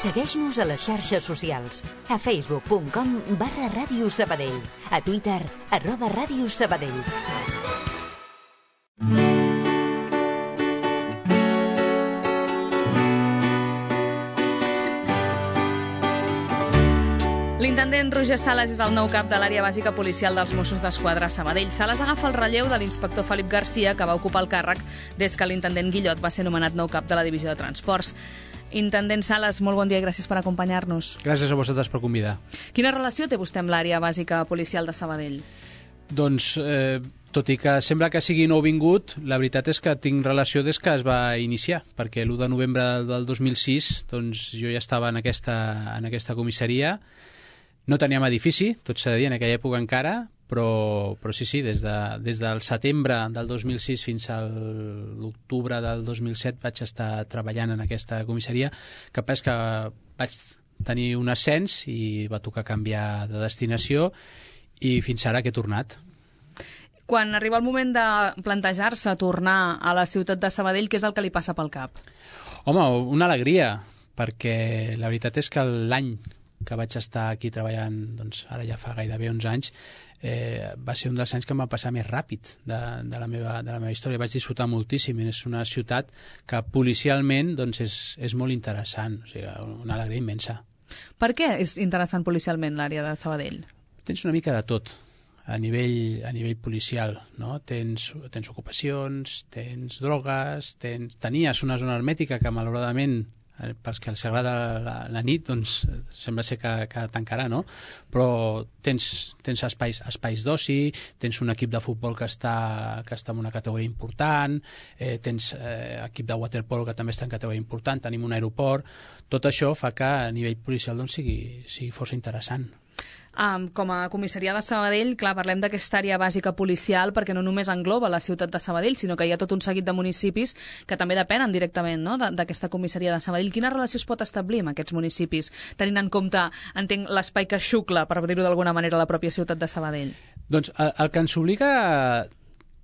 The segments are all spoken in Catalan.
Segueix-nos a les xarxes socials. A facebook.com/Ràdio Sabadell. A Twitter, @Ràdio Sabadell. L'intendent Roger Sales és el nou cap de l'àrea bàsica policial dels Mossos d'Esquadra a Sabadell. Sales agafa el relleu de l'inspector Felip Garcia, que va ocupar el càrrec des que l'intendent Guillot va ser nomenat nou cap de la divisió de transports. Intendent Sales, molt bon dia i gràcies per acompanyar-nos. Gràcies a vosaltres per convidar. Quina relació té vostè amb l'àrea bàsica policial de Sabadell? Doncs, tot i que sembla que sigui nouvingut, la veritat és que tinc relació des que es va iniciar, perquè l'1 de novembre del 2006 doncs, jo ja estava en aquesta comissaria. No teníem edifici, tot s'ha de dir, en aquella època encara, però sí, des del setembre del 2006 fins a l'octubre del 2007 vaig estar treballant en aquesta comissaria, que passa que vaig tenir un ascens i va tocar canviar de destinació i fins ara que he tornat. Quan arriba el moment de plantejar-se tornar a la ciutat de Sabadell, què és el que li passa pel cap? Home, una alegria, perquè la veritat és que l'any que vaig estar aquí treballant, doncs ara ja fa gairebé 11 anys, va ser un dels anys que em va passar més ràpid de la meva història. Vaig disfrutar moltíssim. És una ciutat que policialment doncs, és molt interessant, o sigui, una alegria immensa. Per què és interessant policialment l'àrea de Sabadell? Tens una mica de tot a nivell policial, no? Tens ocupacions, tens drogues, tenies una zona hermètica que malauradament pels que els agrada la nit, doncs sembla ser que tancarà, no? Però tens espais d'oci, tens un equip de futbol que està en una categoria important, tens equip de waterpolo que també està en categoria important, tenim un aeroport. Tot això fa que a nivell policial doncs, sigui força interessant. Com a comissaria de Sabadell, clar, parlem d'aquesta àrea bàsica policial perquè no només engloba la ciutat de Sabadell, sinó que hi ha tot un seguit de municipis que també depenen directament, no?, d'aquesta comissaria de Sabadell. Quina relació es pot establir amb aquests municipis, tenint en compte, entenc, l'espai que xucla, per dir-ho d'alguna manera, la pròpia ciutat de Sabadell? Doncs el que ens obliga a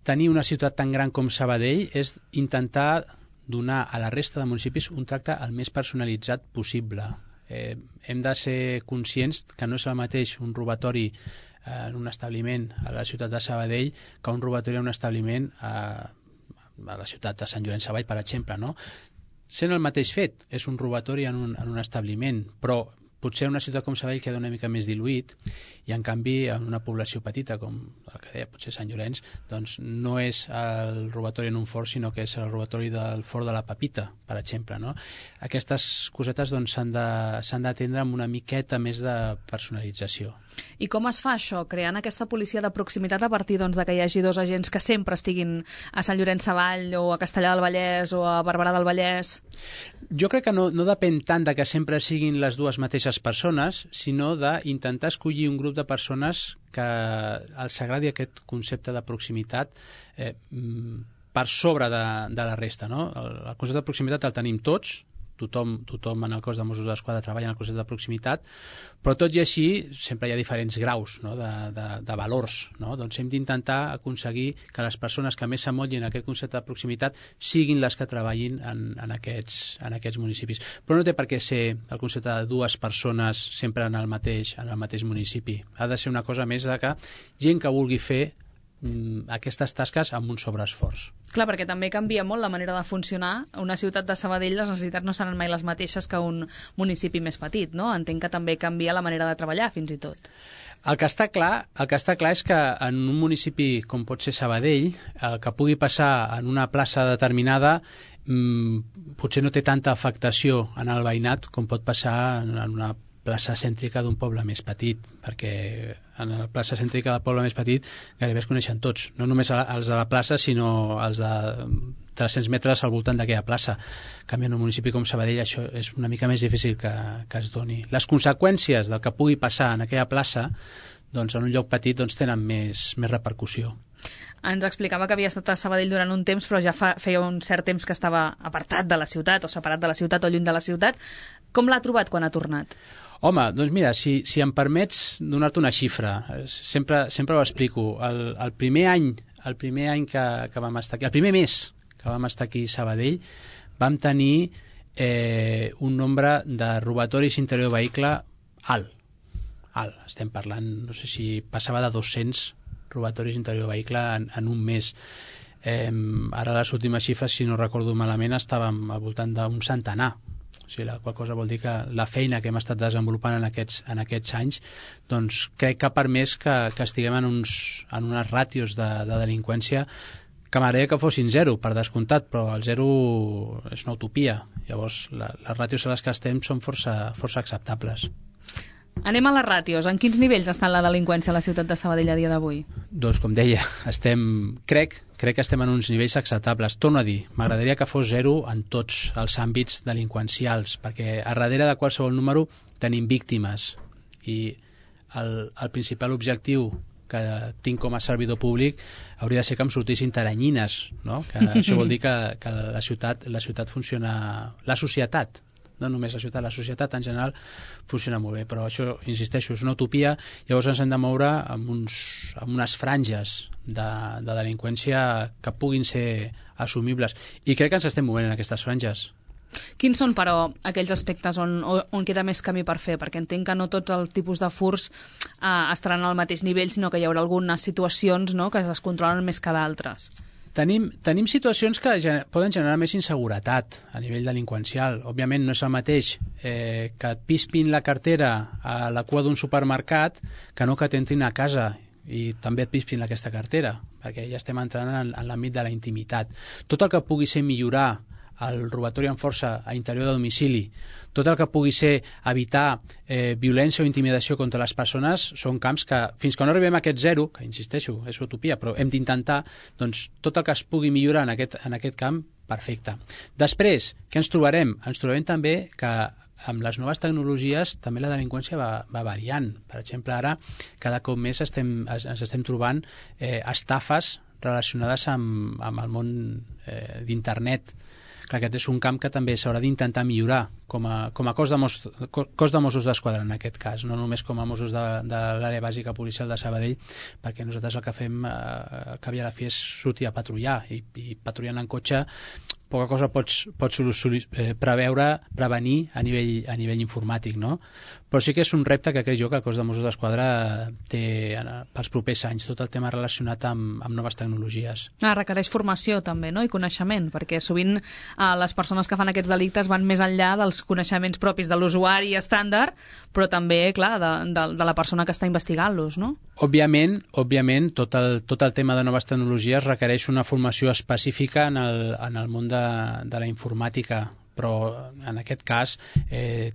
tenir una ciutat tan gran com Sabadell és intentar donar a la resta de municipis un tracte el més personalitzat possible. Hem de ser conscients que no és el mateix un robatori en un establiment a la ciutat de Sabadell que un robatori en un establiment a la ciutat de Sant Llorenç Savall, per exemple, no? Sent el mateix fet, és un robatori en un establiment, però potser una ciutat com Sabadell queda una mica més diluït i en canvi en una població petita com el que deia potser Sant Llorenç, doncs no és el robatori en un fort sinó que és el robatori del fort de la Pepita, per exemple, no? Aquestes cosetes doncs s'han d'atendre amb una miqueta més de personalització. I com es fa això, creant aquesta policia de proximitat a partir doncs, de que hi hagi dos agents que sempre estiguin a Sant Llorenç Savall o a Castellar del Vallès o a Barberà del Vallès? Jo crec que no depèn tant de que sempre siguin les dues mateixes persones, sinó d'intentar escollir un grup de persones que els agradi aquest concepte de proximitat per sobre de la resta, no? El concepte de proximitat el tenim tots, tothom en el cos de Mossos d'Esquadra treballa en el concepte de proximitat, però tot i així sempre hi ha diferents graus, no? de valors, no? Doncs hem d'intentar aconseguir que les persones que més s'amollin a aquest concepte de proximitat siguin les que treballin en aquests municipis. Però no té per què ser el concepte de dues persones sempre en el mateix municipi. Ha de ser una cosa més de que gent que vulgui fer aquestes tasques amb un sobreesforç. Clar, perquè també canvia molt la manera de funcionar. Una ciutat de Sabadell, les necessitats no seran mai les mateixes que un municipi més petit, no? Entenc que també canvia la manera de treballar, fins i tot. El que està clar és que en un municipi com pot ser Sabadell, el que pugui passar en una plaça determinada potser no té tanta afectació en el veïnat com pot passar en una plaça cèntrica d'un poble més petit, perquè en la plaça cèntrica del poble més petit gairebé es coneixen tots, no només els de la plaça, sinó els de 300 metres al voltant d'aquella plaça. En canvi, en un municipi com Sabadell això és una mica més difícil que es doni. Les conseqüències del que pugui passar en aquella plaça, doncs en un lloc petit doncs, tenen més repercussió. Ens explicava que havia estat a Sabadell durant un temps, però ja feia un cert temps que estava apartat de la ciutat, o separat de la ciutat o lluny de la ciutat. Com l'ha trobat quan ha tornat? Home, doncs mira, si em permets donar-te una xifra, sempre ho explico. El primer any que vam estar aquí, el primer mes que vam estar aquí a Sabadell, vam tenir un nombre de robatoris interior de vehicle alt. Estem parlant, no sé si passava de 200 robatoris interior de vehicle en un mes. Ara les últimes xifres, si no recordo malament, estàvem al voltant d'un centenar. O sigui, la qual cosa vol dir que la feina que hem estat desenvolupant en aquests anys, doncs crec que ha permès que estiguem en unes ràtios de delinqüència que m'agradaria que fossin 0, per descomptat, però el 0 és una utopia. Llavors, les ràtios a les que estem són força acceptables. Anem a les ràtios. En quins nivells està la delinqüència a la ciutat de Sabadell a dia d'avui? Doncs, com deia, crec que estem en uns nivells acceptables. Torno a dir, m'agradaria que fos 0 en tots els àmbits delinqüencials, perquè a darrere de qualsevol número tenim víctimes, i el principal objectiu que tinc com a servidor públic hauria de ser que em sortissin taranyines, no? Que això vol dir que la ciutat funciona... La societat, no només la societat en general funciona molt bé, però això, insisteixo, és una utopia. Llavors ens hem de moure amb unes franges de delinqüència que puguin ser assumibles, i crec que ens estem movent en aquestes franges. Quins són, però, aquells aspectes on queda més camí per fer? Perquè entenc que no tots els tipus de furts estaran al mateix nivell, sinó que hi haurà algunes situacions, no?, que es controlen més que d'altres. Tenim situacions que poden generar més inseguretat a nivell delinqüencial. Òbviament no és el mateix que et pispin la cartera a la cua d'un supermercat que no que t'entrin a casa i també et pispin aquesta cartera, perquè ja estem entrant en l'àmbit de la intimitat. Tot el que pugui ser millorar el robatori amb força a interior de domicili, tot el que pugui ser evitar violència o intimidació contra les persones, són camps que, fins que no arribem a aquest 0, que insisteixo, és utopia, però hem d'intentar, doncs tot el que es pugui millorar en aquest camp, perfecte. Després, què ens trobarem? Ens trobarem també que amb les noves tecnologies també la delinqüència va variant. Per exemple, ara cada cop més ens estem trobant estafes relacionades amb el món d'internet. Clar, aquest és un camp que també s'haurà d'intentar millorar com a cos de Mossos d'Esquadra, en aquest cas, no només com a Mossos de l'àrea bàsica policial de Sabadell, perquè nosaltres el que fem al cap i a la fi és sortir a patrullar, i patrullant en cotxe poca cosa pots prevenir a nivell informàtic, no? Però sí que és un repte que crec jo que el cos de Mossos d'Esquadra té pels propers anys, tot el tema relacionat amb noves tecnologies. Requereix formació també, no?, i coneixement, perquè sovint les persones que fan aquests delictes van més enllà dels coneixements propis de l'usuari estàndard, però també, clar, de la persona que està investigant-los, no? Òbviament, tot el tema de noves tecnologies requereix una formació específica en el món de la informàtica, però en aquest cas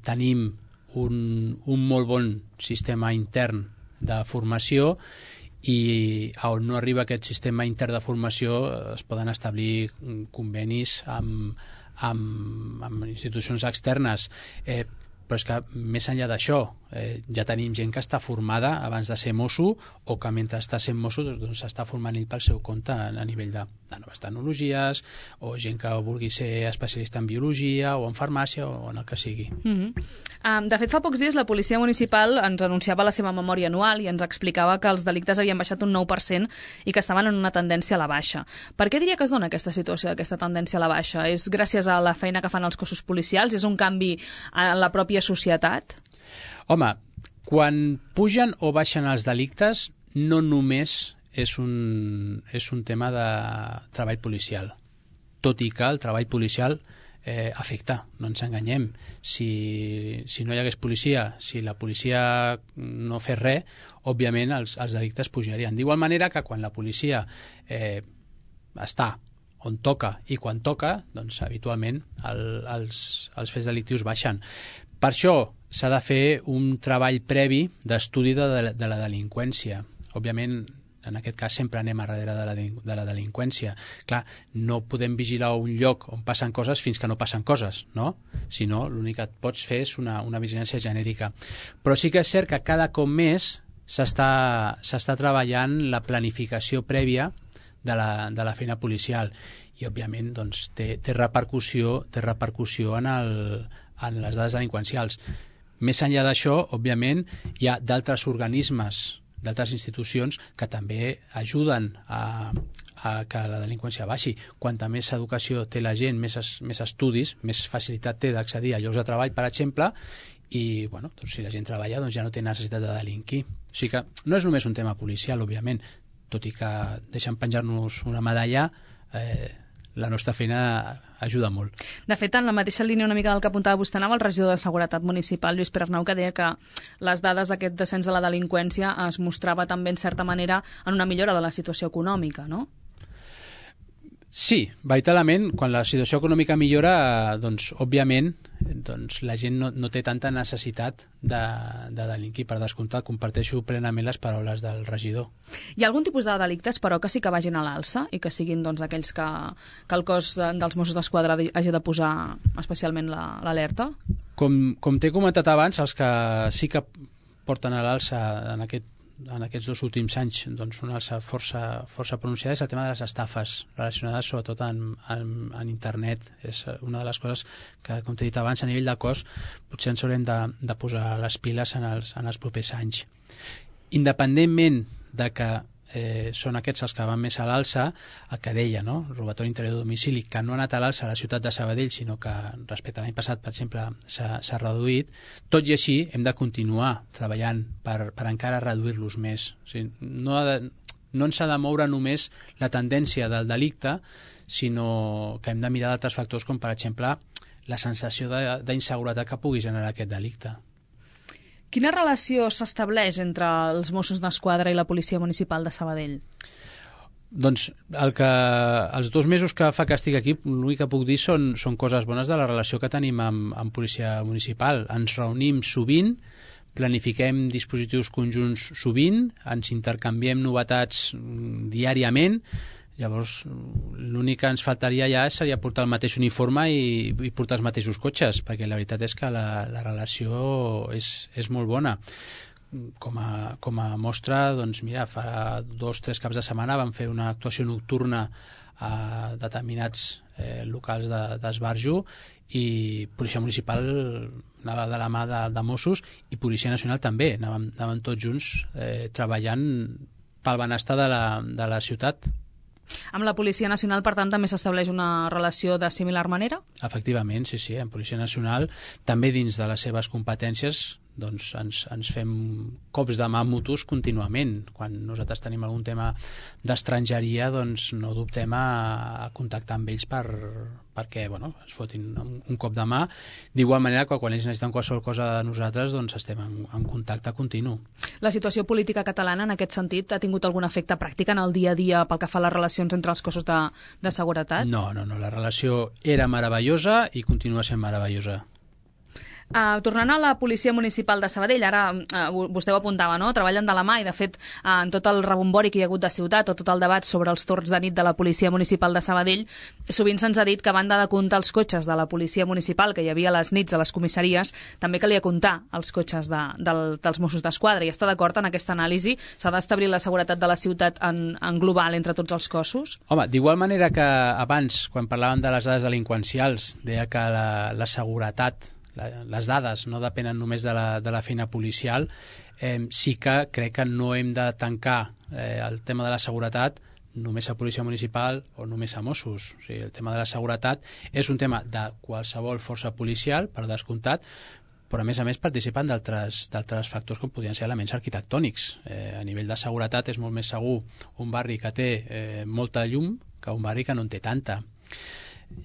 tenim un molt bon sistema intern de formació, i on no arriba aquest sistema intern de formació es poden establir convenis amb institucions externes, però és que més enllà d'això ja tenim gent que està formada abans de ser mosso, o que mentre està sent mosso doncs s'està formant ell pel seu compte a nivell de noves tecnologies, o gent que vulgui ser especialista en biologia o en farmàcia o en el que sigui. De fet, fa pocs dies la Policia Municipal ens anunciava la seva memòria anual i ens explicava que els delictes havien baixat un 9% i que estaven en una tendència a la baixa. Per què diria que es dona aquesta situació, aquesta tendència a la baixa? És gràcies a la feina que fan els cossos policials? És un canvi en la pròpia societat? Home, quan pugen o baixen els delictes no només és un tema de treball policial, tot i que el treball policial afecta, no ens enganyem. Si no hi hagués policia, si la policia no fes res, òbviament els delictes pujarien. D'igual manera que quan la policia està on toca i quan toca, doncs habitualment els fets delictius baixen. Per això s'ha de fer un treball previ d'estudi de la delinqüència. Òbviament, en aquest cas sempre anem a darrere de la delinqüència. Clar, no podem vigilar un lloc on passen coses fins que no passen coses, no? Si no, l'únic que et pots fer és una vigilància genèrica. Però sí que és cert que cada cop més s'està treballant la planificació prèvia de la feina policial, i òbviament doncs, té repercussió en les dades delinqüencials. Més enllà d'això, òbviament, hi ha d'altres organismes, d'altres institucions que també ajuden a a que la delinqüència baixi. Quanta més educació té la gent, més estudis, més facilitat té d'accedir a llocs de treball, per exemple, i bueno, doncs, si la gent treballa ja no té necessitat de delinquir. O sigui que no és només un tema policial, òbviament, tot i que deixen penjar-nos una medalla, la nostra feina ajuda molt. De fet, en la mateixa línia una mica del que apuntava vostè, anava el regidor de Seguretat Municipal, Lluís Pere Arnau, que deia que les dades d'aquest descens de la delinqüència es mostrava també, en certa manera, en una millora de la situació econòmica, no? Sí, veritablement, quan la situació econòmica millora, doncs, òbviament, doncs, la gent no té tanta necessitat de delinquir. Per descomptat, comparteixo plenament les paraules del regidor. Hi ha algun tipus de delictes, però, que sí que vagin a l'alça i que siguin doncs, aquells que el cos dels Mossos d'Esquadra hagi de posar especialment l'alerta? Com t'he comentat abans, els que sí que porten a l'alça en aquests 2 últims anys, doncs, una alça força pronunciada és el tema de les estafes relacionades sobretot en internet. És una de les coses que, com t'he dit abans, a nivell de cos potser ens haurem de posar les piles en els propers anys. Independentment de que són aquests els que van més a l'alça, el que deia, no? Robatori interior de domicili, que no ha anat a l'alça a la ciutat de Sabadell, sinó que respecte a l'any passat, per exemple, s'ha reduït. Tot i així, hem de continuar treballant per encara reduir-los més. O sigui, no ens ha de moure només la tendència del delicte, sinó que hem de mirar d'altres factors, com per exemple la sensació d'inseguretat que pugui generar aquest delicte. Quina relació s'estableix entre els Mossos d'Esquadra i la Policia Municipal de Sabadell? Doncs els 2 mesos que fa que estic aquí, l'únic que puc dir són coses bones de la relació que tenim amb Policia Municipal. Ens reunim sovint, planifiquem dispositius conjunts sovint, ens intercanviem novetats diàriament. Llavors, l'únic que ens faltaria ja seria portar el mateix uniforme i portar els mateixos cotxes, perquè la veritat és que la relació és molt bona. Com a mostra, doncs mira, fa 2 o 3 caps de setmana vam fer una actuació nocturna a determinats locals d'esbarjo i Policia Municipal anava de la mà de Mossos i Policia Nacional també, anàvem tots junts treballant pel benestar de la ciutat. Amb la Policia Nacional, per tant, també s'estableix una relació de similar manera? Efectivament, sí. Amb Policia Nacional, també dins de les seves competències, doncs ens fem cops de mà mutus contínuament. Quan nosaltres tenim algun tema d'estrangeria, doncs no dubtem a contactar amb ells perquè es fotin un cop de mà. D'igual manera que quan ells necessiten qualsevol cosa de nosaltres, doncs estem en contacte continu. La situació política catalana, en aquest sentit, ha tingut algun efecte pràctic en el dia a dia pel que fa a les relacions entre els cossos de seguretat? No, la relació era meravellosa i continua sent meravellosa. Tornant a la Policia Municipal de Sabadell, ara vostè ho apuntava, no? Treballen de la mà i, de fet, en tot el rebombori que hi ha hagut de ciutat o tot el debat sobre els torns de nit de la Policia Municipal de Sabadell, sovint se'ns ha dit que a banda de comptar els cotxes de la Policia Municipal que hi havia a les nits a les comissaries, també calia comptar els cotxes dels Mossos d'Esquadra. I està d'acord en aquesta anàlisi? S'ha d'establir la seguretat de la ciutat en global entre tots els cossos? Home, d'igual manera que abans, quan parlàvem de les dades delinqüencials, deia que la seguretat, les dades no depenen només de la feina policial, sí que crec que no hem de tancar el tema de la seguretat només a Policia Municipal o només a Mossos. O sigui, el tema de la seguretat és un tema de qualsevol força policial, per descomptat, però a més participen d'altres factors com podrien ser elements arquitectònics. A nivell de seguretat és molt més segur un barri que té molta llum que un barri que no en té tanta.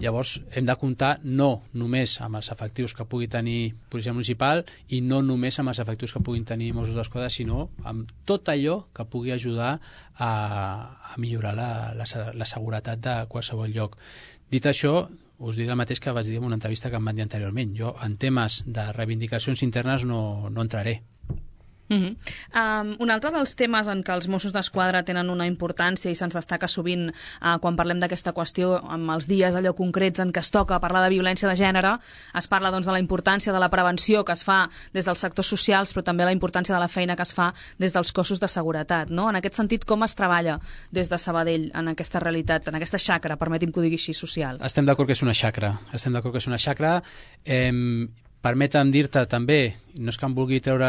Llavors hem de comptar no només amb els efectius que pugui tenir Policia Municipal i no només amb els efectius que puguin tenir Mossos d'Esquadra, sinó amb tot allò que pugui ajudar a millorar la seguretat de qualsevol lloc. Dit això, us diré el mateix que vaig dir en una entrevista que em van dir anteriorment. Jo en temes de reivindicacions internes no entraré. Un altre dels temes en què els Mossos d'Esquadra tenen una importància i se'ns destaca sovint quan parlem d'aquesta qüestió amb els dies allò concrets en què es toca parlar de violència de gènere, es parla doncs, de la importància de la prevenció que es fa des dels sectors socials, però també la importància de la feina que es fa des dels cossos de seguretat, no? En aquest sentit, com es treballa des de Sabadell en aquesta realitat, en aquesta xacra, permeti'm que ho digui així, social? Estem d'acord que és una xacra. Permetem dir-te també, no és que em vulgui treure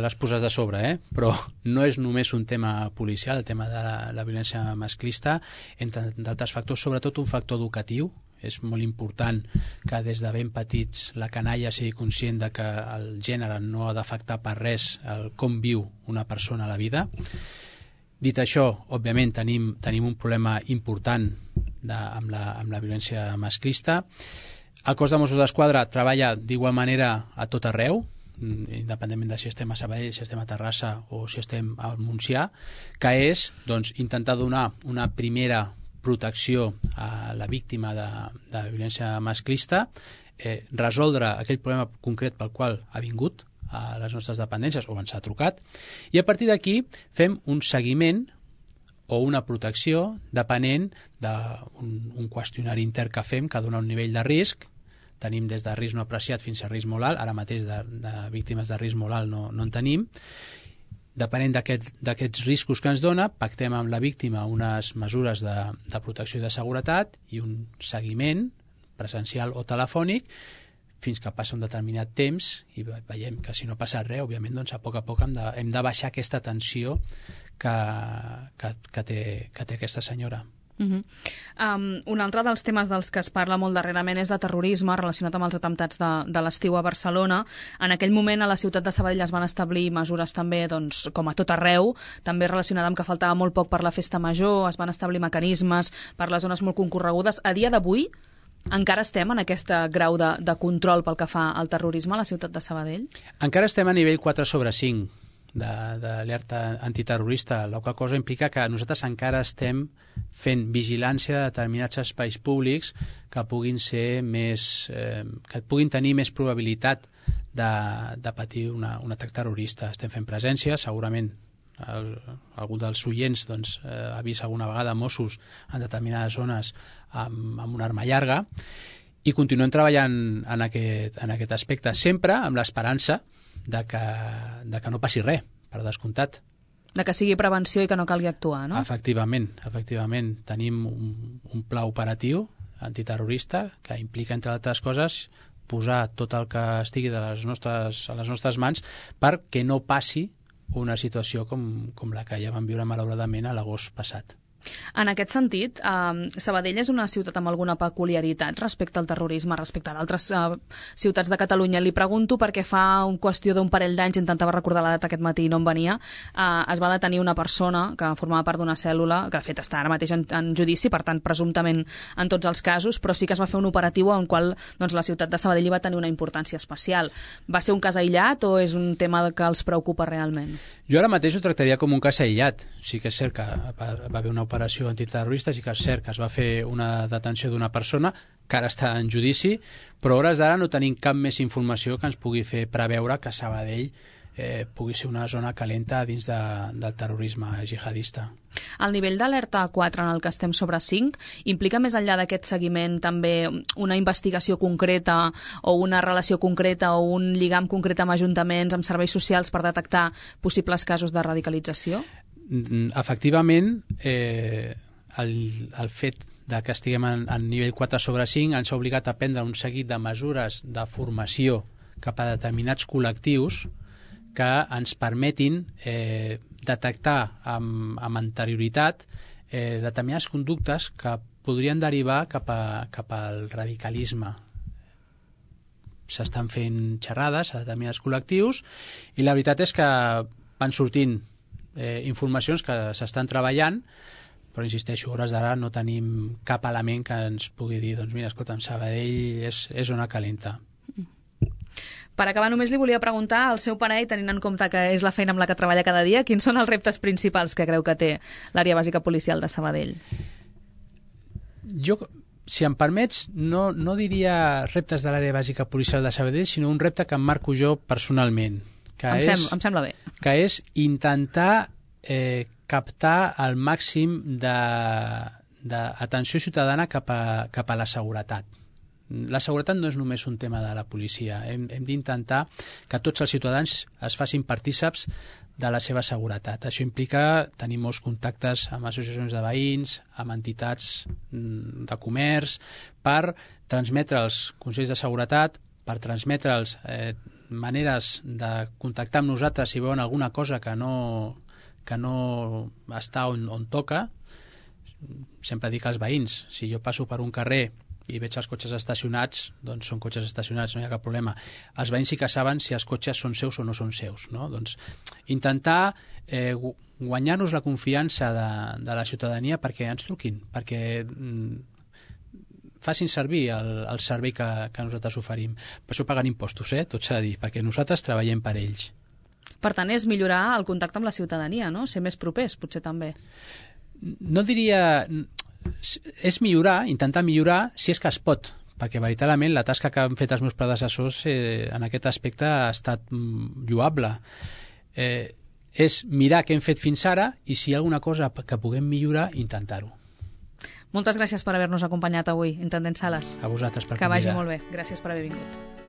les puces de sobre, però no és només un tema policial, el tema de la violència masclista, entre d'altres factors, sobretot un factor educatiu. És molt important que des de ben petits la canalla sigui conscient de que el gènere no ha d'afectar per res el com viu una persona a la vida. Dit això, òbviament tenim un problema important amb la violència masclista. El cos de Mossos d'Esquadra treballa d'igual manera a tot arreu, independentment de si estem a Sabadell, si estem a Terrassa o si estem al Montsià, que és intentar donar una primera protecció a la víctima de violència masclista, resoldre aquell problema concret pel qual ha vingut a les nostres dependències o ens ha trucat, i a partir d'aquí fem un seguiment o una protecció depenent d'un qüestionari intern que fem que dona un nivell de risc. Tenim des de risc no apreciat fins a risc molt alt, ara mateix de víctimes de risc molt alt no en tenim. Depenent d'aquests riscos que ens dona, pactem amb la víctima unes mesures de protecció i de seguretat i un seguiment presencial o telefònic fins que passa un determinat temps i veiem que si no passa res, òbviament, doncs a poc hem de baixar aquesta tensió que té aquesta senyora. Un altre dels temes dels que es parla molt darrerament és de terrorisme relacionat amb els atemptats de l'estiu a Barcelona. En aquell moment a la ciutat de Sabadell es van establir mesures també, doncs, com a tot arreu, també relacionada amb que faltava molt poc per la festa major, es van establir mecanismes per les zones molt concorregudes. A dia d'avui encara estem en aquest grau de control pel que fa al terrorisme a la ciutat de Sabadell? Encara estem a nivell 4/5 d'alerta antiterrorista, la qual cosa implica que nosaltres encara estem fent vigilància de determinats espais públics que puguin ser que puguin tenir més probabilitat de patir un atac terrorista. Estem fent presència, segurament algú dels oients ha vist alguna vegada Mossos en determinades zones amb una arma llarga, i continuem treballant en aquest aspecte, sempre amb l'esperança de que no passi res, per descomptat. De que sigui prevenció i que no calgui actuar, no? Efectivament. Tenim un pla operatiu antiterrorista que implica, entre altres coses, posar tot el que estigui a les nostres mans perquè no passi una situació com la que ja vam viure malauradament a l'agost passat. En aquest sentit, Sabadell és una ciutat amb alguna peculiaritat respecte al terrorisme, respecte a d'altres ciutats de Catalunya. Li pregunto perquè fa qüestió d'un parell d'anys, intentava recordar la data aquest matí i no em venia, es va detenir una persona que formava part d'una cèl·lula, que de fet està ara mateix en judici, per tant, presumptament en tots els casos, però sí que es va fer un operatiu en qual la ciutat de Sabadell va tenir una importància especial. Va ser un cas aïllat o és un tema que els preocupa realment? Jo ara mateix ho tractaria com un cas aïllat. Sí que és cert que va haver una operació antiterrorista, sí que és cert que es va fer una detenció d'una persona que ara està en judici, però a hores d'ara no tenim cap més informació que ens pugui fer preveure que Sabadell pugui ser una zona calenta dins del terrorisme jihadista. El nivell d'alerta 4 en el que estem sobre 5 implica més enllà d'aquest seguiment també una investigació concreta o una relació concreta o un lligam concret amb ajuntaments, amb serveis socials per detectar possibles casos de radicalització? Efectivament, el fet de que estiguem en nivell 4/5 ens ha obligat a prendre un seguit de mesures de formació cap a determinats col·lectius que ens permetin detectar amb anterioritat determinades conductes que podrien derivar cap al radicalisme. S'estan fent xerrades a determinats col·lectius i la veritat és que van sortint informacions que s'estan treballant, però insisteixo, a hores d'ara no tenim cap element que ens pugui dir, doncs mira, escolta, Sabadell és zona calenta. Per acabar, només li volia preguntar al seu parer, tenint en compte que és la feina amb la que treballa cada dia, quins són els reptes principals que creu que té l'àrea bàsica policial de Sabadell? Jo, si em permets, no diria reptes de l'àrea bàsica policial de Sabadell, sinó un repte que em marco jo personalment. Em sembla bé. Que és intentar captar el màxim d'atenció ciutadana cap a la seguretat. La seguretat no és només un tema de la policia. Hem d'intentar que tots els ciutadans es facin partíceps de la seva seguretat. Això implica tenir molts contactes amb associacions de veïns, amb entitats de comerç, per transmetre els consells de seguretat, per transmetre'ls maneres de contactar amb nosaltres si veuen alguna cosa que no està on toca. Sempre dic als veïns, si jo passo per un carrer i veig els cotxes estacionats, doncs són cotxes estacionats, no hi ha cap problema. Els veïns sí que saben si els cotxes són seus o no són seus, no? Doncs intentar guanyar-nos la confiança de la ciutadania perquè ens truquin, perquè facin servir el servei que nosaltres oferim. Per això paguen impostos, tot s'ha de dir, perquè nosaltres treballem per ells. Per tant, és millorar el contacte amb la ciutadania, no? Ser més propers, potser també. No diria... És millorar, intentar millorar si és que es pot, perquè veritablement la tasca que han fet els meus predecessors en aquest aspecte ha estat lloable. És mirar què hem fet fins ara i si hi ha alguna cosa que puguem millorar, intentar-ho. Moltes gràcies per haver-nos acompanyat avui, intendent Sales. A vosaltres per convidar. Que vagi convidar. molt bé. Gràcies per haver vingut.